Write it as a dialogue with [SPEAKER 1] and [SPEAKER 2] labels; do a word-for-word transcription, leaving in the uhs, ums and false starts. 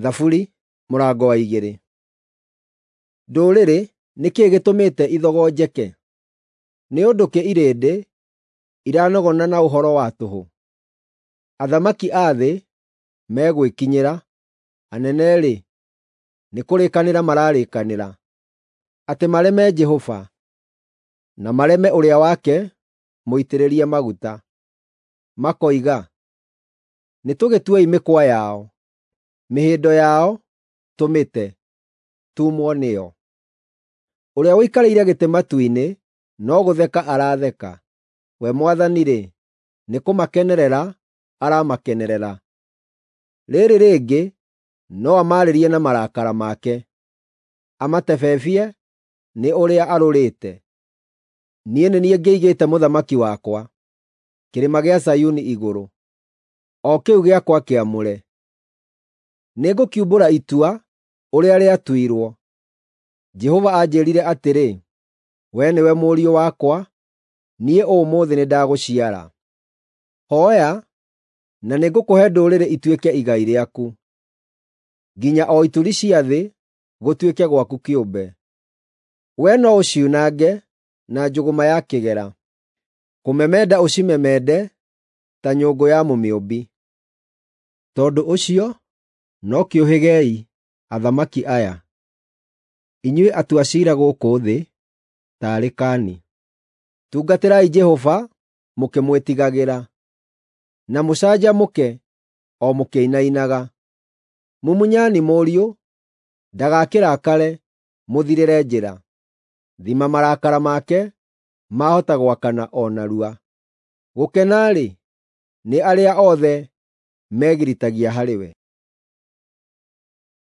[SPEAKER 1] Thaburi mũrango wa igĩrĩ. Ndũrĩrĩ nĩ kĩĩ gĩtũmĩte ithogonjeke? Nĩ ũndũ kĩ irĩndĩ iranogona na ũhoro wa tũhũ? Athamaki a thĩ megwĩkinyĩra, anene-rĩ, nĩ kũrĩkanĩra mararĩkanĩra, atĩ mareme Jehova, na mareme ũrĩa wake mũitĩrĩrie maguta. Makoiga, “Nĩtũgĩtuei mĩkwa yao, mĩhĩndo yao tũmĩte, tuumwo nĩyo.” Ũrĩa ũikarĩire gĩtĩ matu-inĩ no gũtheka aratheka; we Mwathani-rĩ, nĩkũmakenerera aramakenerera. Rĩĩrĩ rĩngĩ no amaarĩrie na marakara make, amatebebie nĩ ũrĩa arũrĩte. Niĩ nĩ niĩ ngĩigĩte mũthamaki wakwa kĩrĩma gĩa Zayuni igũrũ, o kĩu gĩakwa kĩamũre. Nĩngũkiumbũra itua ũrĩa rĩatuirwo. Jehova anjĩĩrire atĩrĩ, “Wee nĩwe mũriũ wakwa, niĩ ũmũthĩ nĩndagũciara. Hooya, na nĩngũkũhe ndũrĩrĩ ituĩke igai rĩaku, nginya o ituri cia thĩ gũtuĩke gwaku kĩũmbe. Wee no ũciunange na njũgũma ya kĩgera, kũmemenda ũcimemende ta nyũngũ ya mũmĩũmbi.” Tondũ ũcio no kĩũhĩgei, athamaki aya, inyuĩ atua ciira gũkũ thĩ, taarĩkani. Tungatĩrai Jehova mũkĩmwĩtigagĩra, na mũcanjamũke o mũkĩinainaga. Mumunyani Mũriũ, ndagakĩrakare mũthirĩre njĩra; thima marakara make maahota gwakana o narua. Gũkena-rĩ, nĩ arĩa othe megiritagia harĩ we.